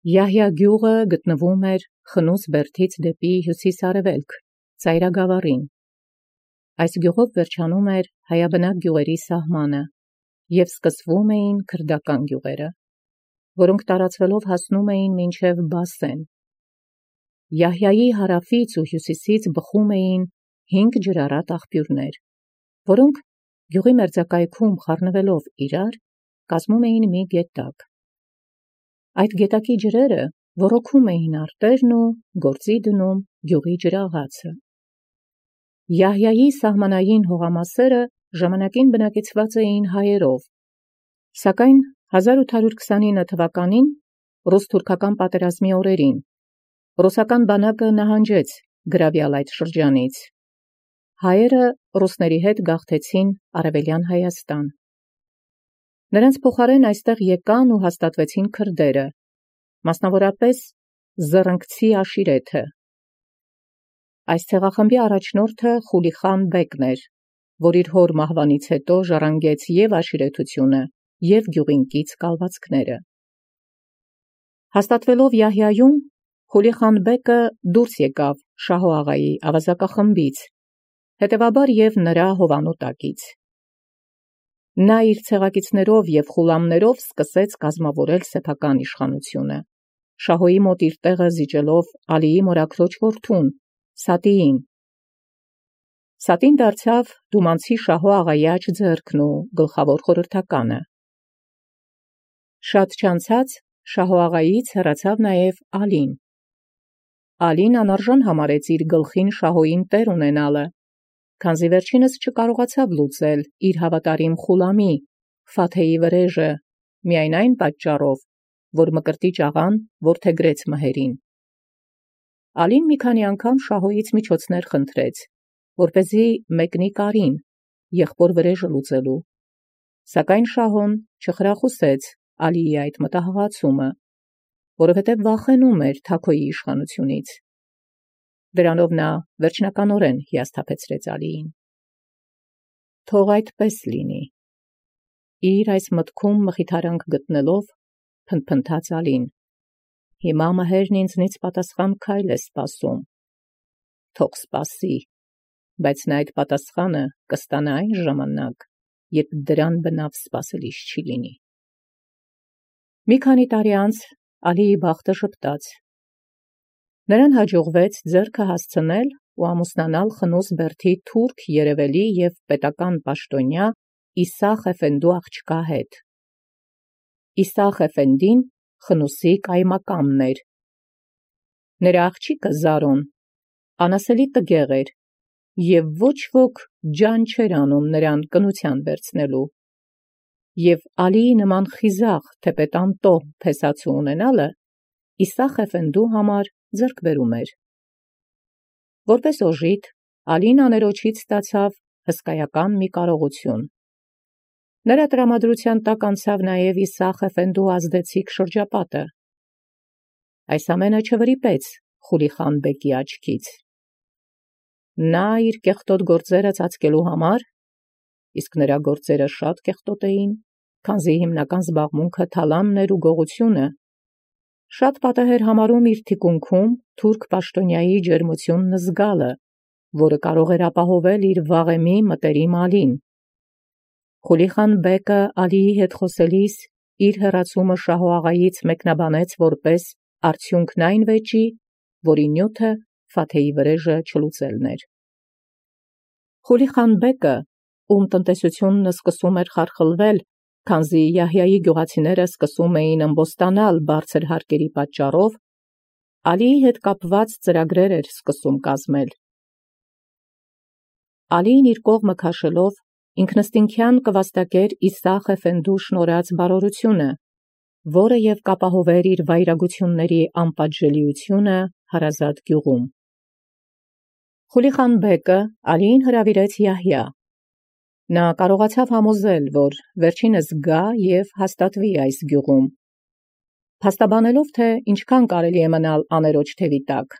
Յահյա գյուղը գտնվում էր Խնուս բերդից դեպի հյուսիս-արևելք, ծայրագավառին։ Այս գյուղով վերջանում էր հայաբնակ գյուղերի սահմանը, և սկսվում էին քրդական գյուղերը, որոնք տարածվելով հասնում էին մինչև Բասեն։ Յահյայի հարավից ու հյուսիսից բխում էին 5 ջրառատ աղբյուրներ, որոնք գյուղի մերձակայքում խառնվելով իրար, կազմում էին մի գետակ։ Այդ գետակի ջրերը ոռոգում էին արտերն ու գործի դնում գյուղի ջրաղացը։ Յահյայի սահմանային հողամասերը ժամանակին բնակեցված էին հայերով, սակայն 1829 թվականին ռուս-թուրքական պատերազմի օրերին ռուսական բանակը նահանջեց գրավյալ այդ շրջանից։ Հայերը ռուսների հետ գաղթեցին Արևելյան Հայաստան։ Նրանց փոխարեն այստեղ եկան ու հաստատվեցին քրդերը, մասնավորապես Զռնգցի աշիրեթը։ Այս ցեղախմբի առաջնորդը Խուլիխան բեկն էր, որ իր հոր մահվանից հետո ժառանգեց և աշիրեթությունը, և գյուղին կից կալվածքները։ Հաստատվելով Յահյայում, Խուլիխան բեկը դուրս եկավ Շահո աղայի ավազակախմբից, հետևաբար և նրա հովանու տակից։ Նա իր ցեղակիցներով և խուլամներով սկսեց կազմավորել սեփական իշխանությունը, Շահոյի մոտ իր տեղը զիջելով Ալիի մորաքրոջ որդուն Սատիին։ Սատին դարձավ դումանցի Շահո աղայի աջ ձեռքն ու գլխավոր խորհրդականը։ Շատ չանցած Շահո աղայից հեռացավ նաև Ալին։ Ալին անարժան համարեց իր գլխին Շահոյին տեր ունենալը, քանզի վերջինս չկարողացավ լուծել իր հավատարիմ խուլամի Ֆաթեի վրեժը, միայն այն պատճառով, որ Մկրտիչ աղան որդեգրեց մհերին։ Ալին մի քանի անգամ Շահոյից միջոցներ խնդրեց, որպեսզի մեկնի կարին, եղբոր վրեժը լուծելու, սակայն Շահոն չխրախուսեց Ալիի այդ մտահղացումը, որովհետև վախենում էր Թագոյի իշխանությունից։ Դրանով նա վերջնականորեն հիասթափեցրեց Ալիին։ Թող այդպես լինի։ Իր այս մտքում մխիթարանք գտնելով, փնթփնթաց Ալին. Հիմա մհերն ինձնից պատասխան քայլ է սպասում։ Թող սպասի, բայց նա այդ պատասխանը կստանա այն ժամանակ, երբ դրան բնավ սպասելիս չի լինի։ Մի քանի տարի անց Ալիի բախտը ժպտաց։ Նրան հաջողվեց ձեռքը հասցնել ու ամուսնանալ Խնուս բերդի թուրք երևելի և պետական պաշտոնյա Իսախ Էֆենդու աղջկա հետ։ Իսախ Էֆենդին Խնուսի կայմակամն էր։ Նրա աղջիկը Զարոն անասելի տգեղ էր, և ոչ ոք ջան չէր անում նրան կնության վերցնելու, և Ալիի նման խիզախ թեպետանտող փեսացու ունենալը Իսախ Էֆենդու համար ձեռքբերում էր։ Որպես օժիտ, Ալին աներոջից ստացավ հսկայական մի կարողություն։ Նրա տրամադրության տակ անցավ նաև Իսախ Էֆենդու ազդեցիկ շրջապատը։ Այս ամենը չվրիպեց Խուլիխան բեկի աչքից։ Նա իր կեղտոտ գործերը ծածկելու համար, իսկ նրա գործերը շատ կեղտոտ էին, քանզի հիմնական զբաղմունքը թալանն էր ու գողությունը, շատ պատեհ էր համարում իր թիկունքում թուրք պաշտոնյայի ջերմությունն զգալը, որը կարող էր ապահովել իր վաղեմի մտերիմ Ալին։ Խուլիխան բեկը Ալիի հետ խոսելիս իր հեռացումը Շահո աղայից մեկնաբանեց որպես արդյունքն այն վեճի, որի նյութը Ֆաթեի վրեժը չլուծելն էր։ Խուլիխան բեկը, ում տնտեսությունն սկսում էր խարխլվել, քանզի Յահյայի գյուղացիները սկսում էին ըմբոստանալ բարձր հարկերի պատճառով, Ալիի հետ կապված ծրագրեր էր սկսում կազմել։ Ալին իր կողմը քաշելով ինքնըստինքյան կվաստակեր Իսախ Էֆենդու շնորհած բարօրությունը, որը և կապահովեր իր վայրագությունների անպատժելիությունը հարազատ գյուղում։ Խուլիխան բեկը Ալիին հրավիրեց Յահյա։ Նա կարողացավ համոզել, որ վերջինս գա և հաստատվի այս գյուղում, փաստաբանելով, թե ինչքան կարելի է մնալ աներոջ թևի տակ։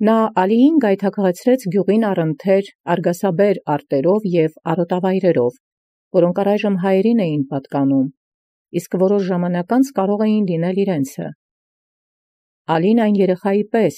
Նա Ալիին գայթակղեցրեց գյուղին առընթեր արգասաբեր արտերով և արոտավայրերով, որոնք առայժմ հայերին էին պատկանում, իսկ որոշ ժամանակ անց կարող էին լինել իրենցը, Ալին այն երեխայի պես,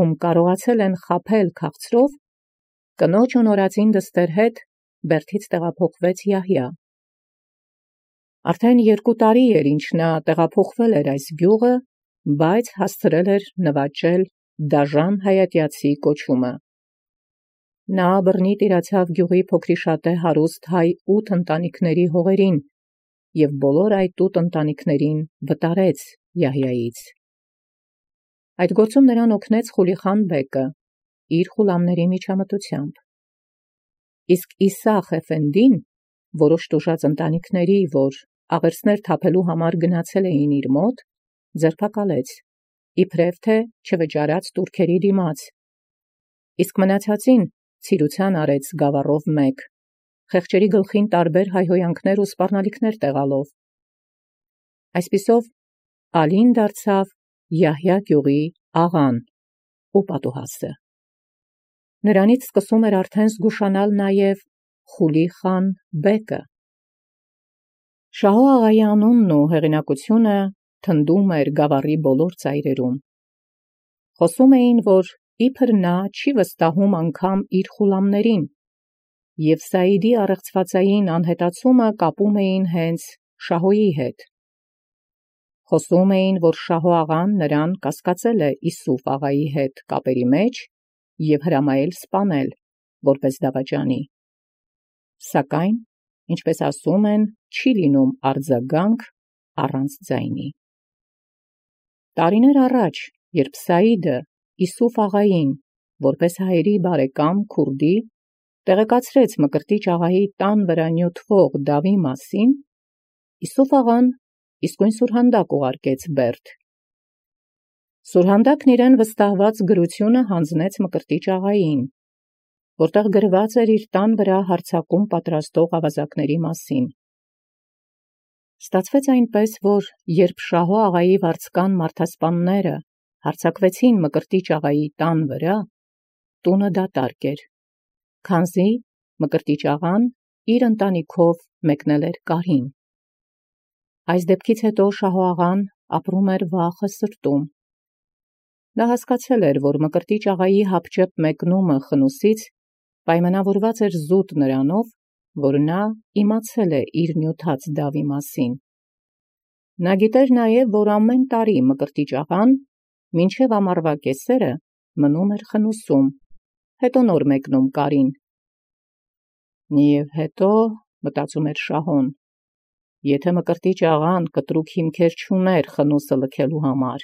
ում կարողացել են խաբել քաղցրով, կնոջ ունորածին դստեր հետ Բերդից տեղափոխվեց Յահյա։ Արդեն 2 տարի էր ինչ նա տեղափոխվել էր այս գյուղը, բայց հասցրել էր նվաճել Դաժան հայատյացի կոչումը։ Նա բռնի տիրացավ գյուղի փոքրիշատե հարուստ հայ 8 ընտանիքների հողերին և բոլոր այդ 8 ընտանիքներին վտարեց Յահյայից։ Այդ գործում նրան օգնեց Խուլիխան բեկը իր խուլամների միջամտությամբ։ Իսկ Իսախ Էֆենդին, որոշ տուժած ընտանիքների, որ աղերսներ թափելու համար գնացել էին իր մոտ, ձերբակալեց, իբրև թե չվճարած տուրքերի դիմաց, իսկ մնացածին ցիրուցան արեց գավառով մեկ, խեղճերի գլխին տարբեր հայհոյանքներ ու սպառնալիքներ տեղալով։ Այսպիսով Ալին դարձավ Յահյա գյուղի աղան ու պատուհասը։ Նրանից սկսում էր արդեն զգուշանալ նաև Խուլիխան բեկը։ Շահո աղայի անունն ու հեղինակությունը թնդում էր գավառի բոլոր ծայրերում։ Խոսում էին, որ իբր նա չի վստահում անգամ իր խուլամներին, և Սայիդի առեղծվածային անհետացումը կապում էին հենց Շահոյի հետ։ Խոսում էին, որ Շահո աղան նրան կասկածել է Իսուֆ աղայի հետ կապերի մեջ և հրամայել սպանել, որպես դավաճանի։ Սակայն, ինչպես ասում են, չի լինում արձագանք առանց ձայնի։ Տարիներ առաջ, երբ Սայիդը Իսուֆ աղային, որպես հայերի բարեկամ քուրդի, տեղեկացրեց Մկրտիչ աղայի տան վրա նյութվող դավի մասին, Իսուֆ աղան իսկույն սուրհանդակ ուղարկեց Բերդ։ Սուրհանդակն իրեն վստահված գրությունը հանձնեց Մկրտիչ աղային, որտեղ գրված էր իր տան վրա հարձակում պատրաստող ավազակների մասին։ Ստացվեց այնպես, որ երբ Շահո աղայի վարձկան մարդասպանները հարձակվեցին Մկրտիչ աղայի տան վրա, տունը դատարկ էր, քանզի Մկրտիչ աղան իր ընտանիքով մեկնել էր Կարին։ Այս դեպքից հետո Շահո աղան ապրում էր վախը սրտում։ Նա հասկացել էր, որ Մկրտիչ աղայի հապճեպ մեկնումը խնուսից պայմանավորված էր զուտ նրանով, որ նա իմացել է իր նյութած դավի մասին։ Նա գիտեր նաև, որ ամեն տարի Մկրտիչ աղան մինչև ամառվա կեսերը մնում էր խնուսում, հետո նոր մեկնում Կարին։ Եվ հետո, մտածում էր Շահոն, եթե Մկրտիչ աղան կտրուկ հիմքեր չուներ խնուսը լքելու համար,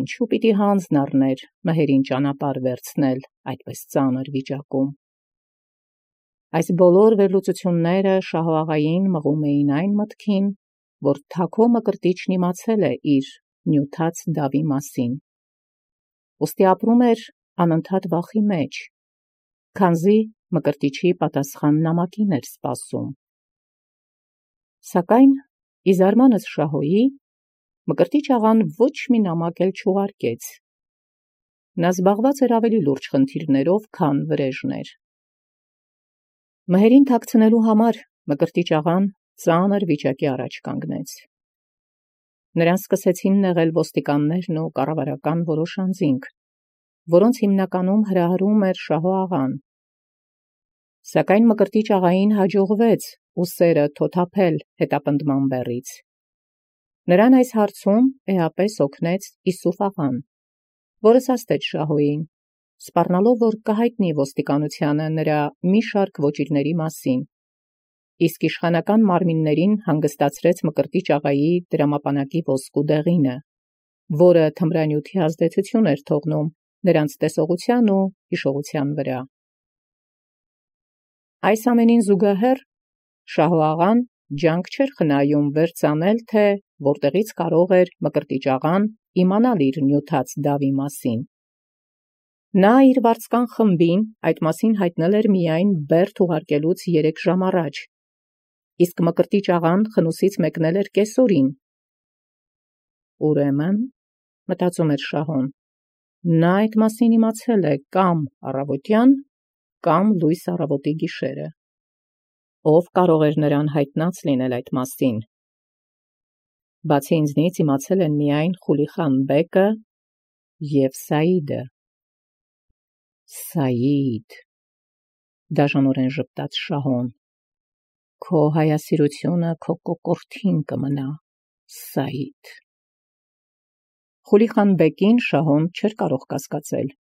ինչու պիտի հանձն առներ մհերին ճանապարհ վերցնել այդպես ծանր վիճակում։ Այս բոլոր վերլուծությունները Շահո աղային մղում էին այն մտքին, որ Թաքո Մկրտիչն իմացել է իր նյութած դավի մասին։ Ուստի ապրում էր անընդհատ վախի մեջ, քանզի Մկրտիչի պատասխան նամակին էր սպասում։ Սակայն, ի զարմանս Շահոյի, Մկրտիչ աղան ոչ մի նամակ էլ չուղարկեց։ Նա զբաղված էր ավելի լուրջ խնդիրներով, քան վրեժներ։ Մհերին թաքցնելու համար Մկրտիչ աղան ծանր վիճակի առաջ կանգնեց։ Նրան սկսեցին նեղել ոստիկաններն ու կառավարական որոշ անձինք, որոնց հիմնականում հրահրում էր Շահո աղան։ Սակայն Մկրտիչ աղային հաջողվեց ուսերը թոթափել հետապնդման բեռից։ Նրան այս հարցում էապես օգնեց Իսուֆ աղան, որը սաստեց Շահոյին, սպառնալով, որ կհայտնի ոստիկանությանը նրա մի շարք ոճիրների մասին, իսկ իշխանական մարմիններին հանգստացրեց Մկրտիչ աղայի դրամապանակի ոսկու դեղինը, որը թմրանյութի ազդեցություն էր թողնում նրանց տեսողության ու հիշողության վրա։ Այս ամենին զուգահեռ Շահո աղան ջանք չէր խնայում վերծանել, թե որտեղից կարող էր Մկրտիչ աղան իմանալ իր նյութած դավի մասին։ Նա իր վարձկան խմբին այդ մասին հայտնել էր միայն Բերդ ուղարկելուց 3 ժամ առաջ, իսկ Մկրտիչ աղան խնուսից մեկնել էր կեսօրին։ Ուրեմն, մտածում էր Շահոն, նա այդ մասին իմացել է կամ առավոտյան, կամ լույս առավոտի գիշերը։ Ով կարող էր նրան հայտնած լինել այդ մասին։ Բացի ինձնից իմացել են միայն Խուլիխան բեկը և Սաիդը։ Սաիդ, դաժանորեն ժպտաց Շահոն, քո հայասիրությունը քո կոկորդին կմնա, Սաիդ։ Խուլի-խան բեկին Շահոն չէր կարող կասկածել,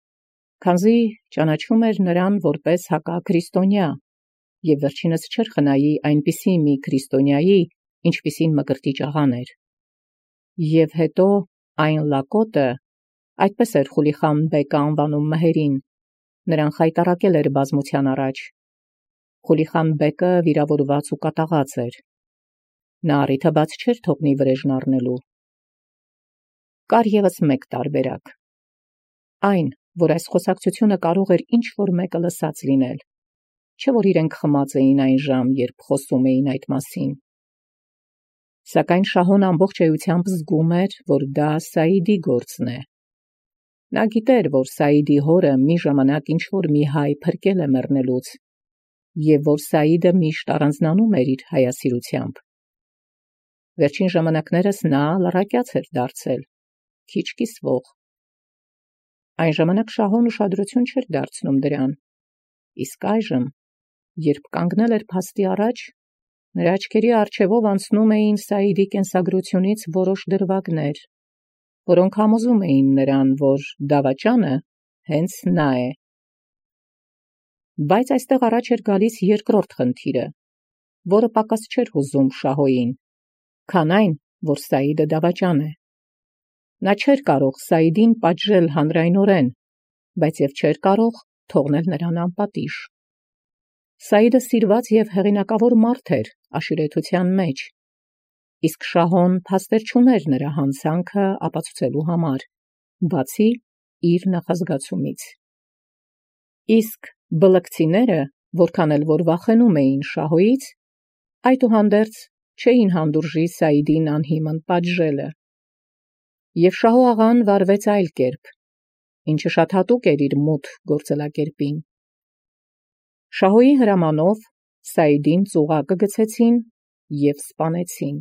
քանզի ճանաչում էր նրան որպես հակաքրիստոնյա, և վերջինս չէր խնայի այնպիսի մի քրիստոնյայի, ինչպիսին Մկրտիչ աղան էր։ Եվ հետո այն լակոտը, այդպես էր Խուլի-խան բեկը անվանում մհերին, նրան խայտառակել էր բազմության առաջ։ Խուլի-խան բեկը վիրավորված ու կատաղած էր։ Նա առիթը բաց չէր թողնի վրեժն առնելու։ Կար ևս մեկ տարբերակ։ Այն, որ այս խոսակցությունը կարող էր ինչ-որ մեկը լսած լինել, չէ՞ որ իրենք խմած էին այն ժամ, երբ խոսում էին այդ մասին։ Սակայն Շահոն ամբողջ էությամբ զգում էր, որ դա Սաիդի գործն է։ Նա գիտեր, որ Սաիդի հորը մի ժամանակ ինչ-որ մի հայ փրկել է մեռնելուց, և որ Սաիդը միշտ առանձնանում էր իր հայասիրությամբ։ Վերջին ժամանակներս նա լռակյաց էր դարձել, քիչ կիսվող։ Այն ժամանակ Շահոն ուշադրություն չէր դարձնում դրան, իսկ այժմ, երբ կանգնել էր փաստի առաջ, նրա աչքերի առջևով անցնում էին Սաիդի կենսագրությունից որոշ դրվագներ, որոնք համոզում էին նրան, որ դավաճանը հենց նա է։ Բայց այստեղ առաջ էր գալիս երկրորդ խնդիրը, որը պակաս չէր հուզում Շահոյին, քան այն, որ Սաիդը դավաճան է։ Նա չէր կարող Սաիդին պատժել հանրայնորեն, բայց և չէր կարող թողնել նրան անպատիժ։ Սաիդը սիրված և հեղինակավոր մարդ էր աշիրետության մեջ, իսկ Շահոն փաստեր չուներ նրա հանցանքը ապացուցելու համար, բացի իր նախազգացումից։ Իսկ բլկցիները, որքան էլ որ վախենում էին Շահոյից, այդուհանդերձ չէին հանդուրժի Սաիդին անհիմն պատժելը։ Եվ Շահո աղան վարվեց այլ կերպ, ինչը շատ հատուկ էր իր մութ գործելակերպին։ Շահոյի հրամանով Սաիդին ծուղակը գցեցին և սպանեցին։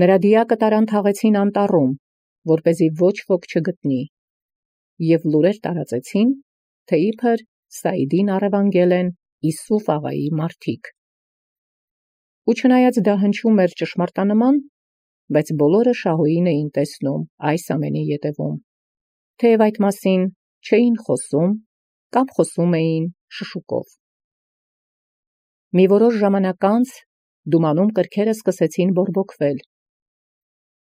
Նրա դիակը տարան թաղեցին անտառում, որպեսզի ոչ ոք չգտնի, և լուրեր տարածեցին, թե իբր Սաիդին առևանգել են Իսուֆ աղայի մարդիկ։ Ու չնայած դա հնչում էր ճշմարտանման, բայց բոլորը Շահոյին էին տեսնում այս ամենի ետևում, թեև այդ մասին չէին խոսում կամ խոսում էին շշուկով։ Մի որոշ ժամանակ անց դումանում կրքերը սկսեցին բորբոքվել։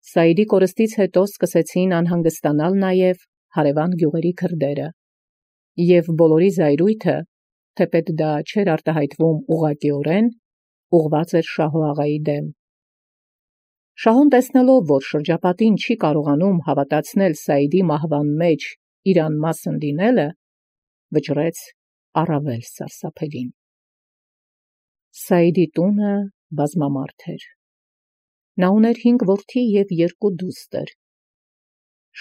Սաիդի կորստից հետո սկսեցին անհանգստանալ նաև հարևան գյուղերի քրդերը, և բոլորի զայրույթը, թեպետ դա չէր արտահայտվում ուղղակիորեն, ուղղված էր Շահո աղայի դեմ։ Շահոն տեսնելով, որ շրջապատին չի կարողանում հավատացնել Սաիդի մահվան մեջ իր անմասն լինելը, վճռեց առավել սարսափելին։ Սաիդի տունը բազմամարդ էր։ Նա ուներ 5 որդի և 2 դուստր։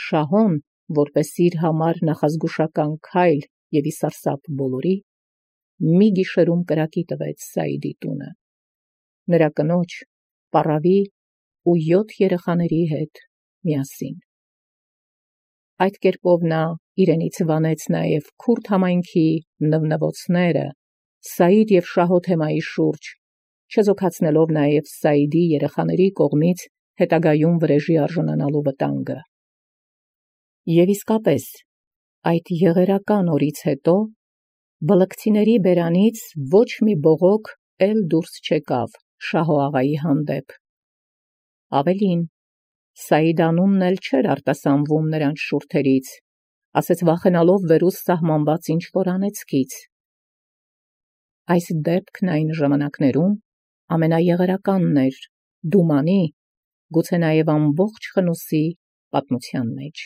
Շահոն, որպես իր համար նախազգուշական քայլ և ի սարսափ բոլորի, մի գիշերում կրակի տվեց Սաիդի տունը, նրա կնոջ, պառավի ու 7 երեխաների հետ միասին։ Այդ կերպով նա իրենից վանեց նաև քուրդ համայնքի նվնվոցները Սաիդ և Շահո թեմայի շուրջ, չեզոքացնելով նաև Սաիդի երեխաների կողմից հետագայում վրեժի արժանանալու վտանգը։ Եվ իսկապես, այդ եղերական օրից հետո բլկցիների բերանից ոչ մի բողոք էլ դուրս չեկավ Շահո աղայի հանդեպ։ Ավելին, Սաիդ անունն էլ չէր արտասանվում նրանց շուրթերից, ասես վախենալով վերուս սահմանված ինչ-որ անեծքից։ Այս դեպքն այն ժամանակներում ամենաեղերականն էր Դումանի, գուցե նաև ամբողջ Խնոսի պատմության մեջ։